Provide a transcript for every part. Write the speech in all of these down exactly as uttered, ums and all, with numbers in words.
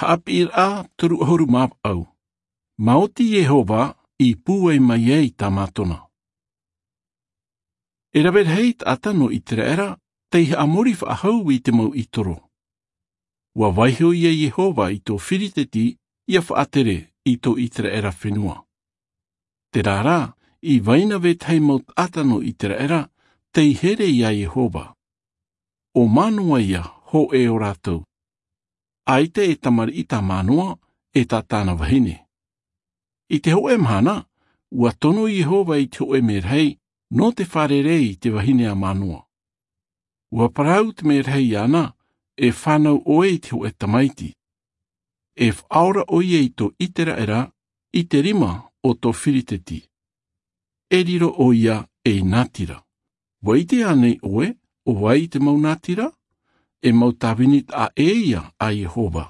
Haʻapiʻiraʻa toru ʻahuru mā vaʻu. Maoti iehova i pūai mai ai tamātona. E rave rahi taʻata nō iteraera tei haʻamori faʻahou i te mau itoro. Ua vaiho ia iehova i tō firiteti ia faʻatere i tō iteraera fenua. Terā rā, i vai na vetahi mau taʻata nō iteraera tei here iā iehova. ʻO manoa ia hōʻē o rātou. ʻAita e tamariʻi tā manoa e tā tāna vahine. I te hōʻē mahana, ua tono iehova i te hōʻē merahi nō te fārerei i te vahine a manoa. Ua parau te merahi iāna, e fānau ʻoe i te hōʻē tamaiti. E faʻaora ʻoia i tō iteraera i te rima o tō firiteti. E riro ʻoia ei natira. Ua ʻite ānei ʻoe ʻo vai te mau natira? E mau tāvini taʻa ʻē ia a iehova.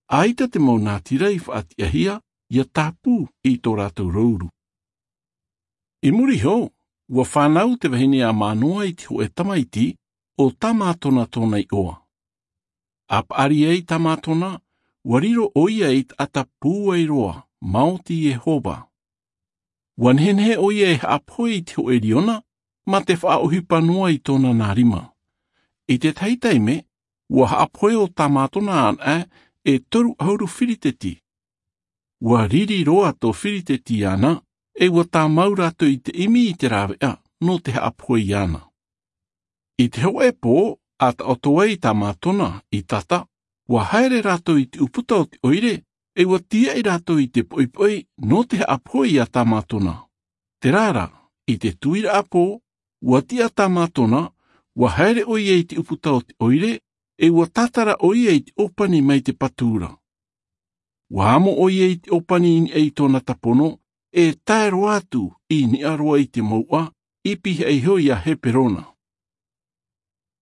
ʻAita te mau natira i faʻatiʻahia ia tāpū i tō rātou rouru. I muri iho, ua fānau te vahine a manoa i te hōʻē tamaiti, ʻo tamātona tōna iʻoa. A paʻari ai tamātona, ua riro ʻoia ei taʻata pūai roa maoti iehova. Ua nehenehe ʻoia e haʻapohe i te hōʻē riona mā te faʻaʻohipa noa i tōna nā rima. I te tahi taime, ua haʻapohe ʻo tamātona anaʻe e toru ʻahuru firiteti. Ua riri roa tō firiteti iāna, e ua tāmau rātou i te ʻimi i te rāveʻa nō te haʻapohe iāna. I te hōʻē pō, a taʻoto ai tamātona i tata, ua haere rātou i te ʻūputa o te ʻoire, e ua tīaʻi rātou i te poʻipoʻi nō te haʻapohe iā tamātona. Terā rā, i te tuiraʻa pō, ua tiʻa tamātona, ua haere ʻoia i te ʻūputa o te ʻoire, e ua tātara ʻoia i te ʻōpani mai te patu ra. Ua amo ʻoia i te ʻōpani i niʻa i tōna tapono, e tae roa atu i niʻa roa i te mouʻa, i pihaʻi iho iā Heperona.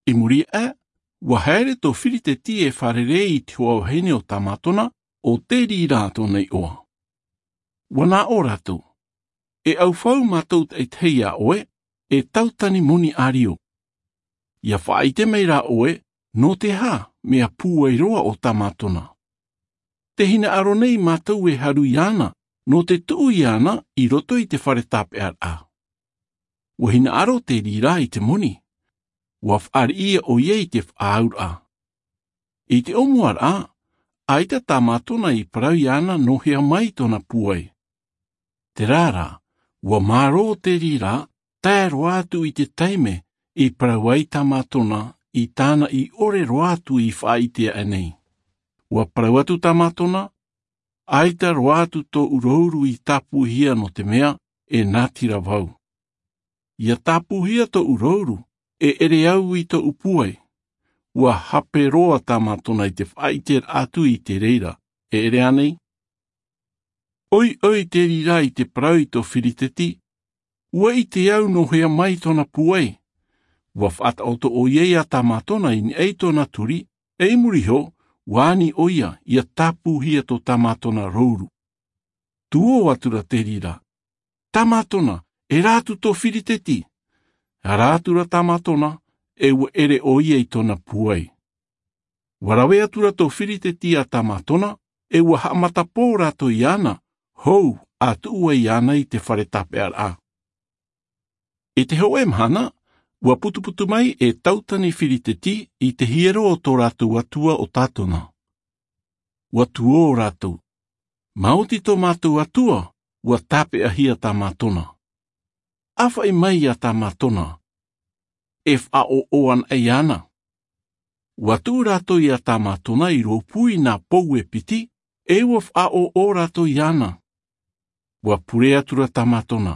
I muri aʻe, ua haere tō firiteti e fārerei i te hoa vahine o tamātona, ʻo Terira tōna iʻoa. Ua nā ʻō rātou, e ʻaufau mātou taʻitahi iā ʻoe, e tautani moni ʻārio. Ia faʻaʻite mai rā ʻoe, nō te aha mea pūai roa ʻo tamātona. Te hinaʻaro nei mātou e haru iāna, nō te tuʻu iāna i roto i te fare tāpeʻaraʻa. Ua hinaʻaro Terira i te moni. Ua faʻariʻi ʻoia i te faʻaauraʻa. I te ʻōmuaraʻa, ʻaita tamātona i parau iāna nō hea mai tōna pūai. Terā rā, ua mārō Terira, tae roa atu i te taime i parau ai tamātona i tāna i ʻore roa atu i faʻaʻite aʻe nei. Ua parau atu tamātona, ʻaita roa atu tōʻu rouru i tāpūhia nō te mea, e natira vau. Ia tāpūhia tōʻu rouru, e ʻere au i tōʻu pūai. Ua hape roa tamātona i te faʻaʻiteraʻa atu i te reira, e ʻere ānei? ʻOiʻoi Terira i te parau i tō firiteti, ua ʻite au nō hea mai tōna pūai. Ua faʻataʻoto ʻoia iā tamātona i niʻa i tōna turi, e i muri iho, ua ani ʻoia ia tāpūhia tō tamātona rouru. Tuō atu ra Terira, tamātona, e rā atu tō firiteti. Ara atu ra tamātona, e ua ʻere ʻoia i tōna pūai. Ua rave atu ra tō firiteti iā tamātona, e ua haʻamatapō rātou iāna, hou a tuʻu ai iāna i te fare tāpeʻaraʻa. I te hōʻē mahana, ua putuputu mai e tautani firiteti i te hiero o tō rātou atua ʻo tātona. Ua tuō rātou, maoti tō mātou atua, ua tāpeʻahia tamātona. ʻĀfaʻi mai iā tamātona, e faʻaʻoʻo anaʻe iāna. Ua tuʻu rātou iā tamātona i rōpū i nā pou e piti, e ua faʻaʻoʻo rātou iāna. Ua pure atu ra tamātona,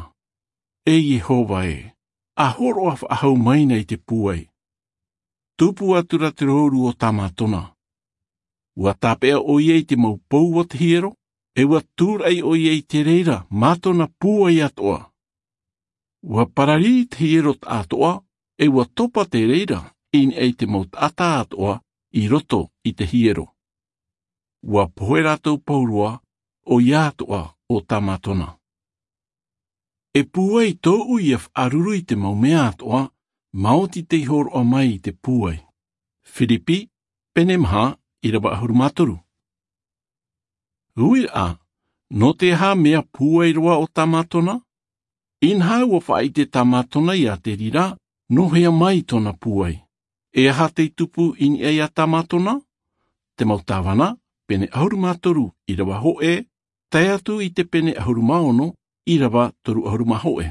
e iehova ē, a hōroʻa faʻahou mai na i te pūai. Tupu atu ra te rouru o tamātona. Ua tāpeʻa ʻoia i te mau pou o te hiero, e ua tūraʻi ʻoia i te reira mā tōna pūai atoʻa. Ua pararī te hiero taʻatoʻa, e ua topa te reira i niʻa i te mau taʻata atoʻa i roto i te hiero. Ua pohe rātou pauroa, ʻoia atoʻa ʻo tamātona. E pūai tōʻu ia faʻaruru i te mau mea atoʻa, maoti tei hōroʻa mai i te pūai. Firipi, pene maha, ʻirava ʻahuru mā toru. Uiraʻa, nō te aha mea pūai roa o tamatona? Inaha ua faʻaʻite tamatona iā te reira nō hea mai tōna pūai. E aha tei tupu i niʻa iā tamatona? Te mau tāvana, pene ʻahuru mā toru ʻīrava hoʻe, tae atu i te pene ʻahuru mā ono ʻīrava toru ʻahuru mā hoʻe.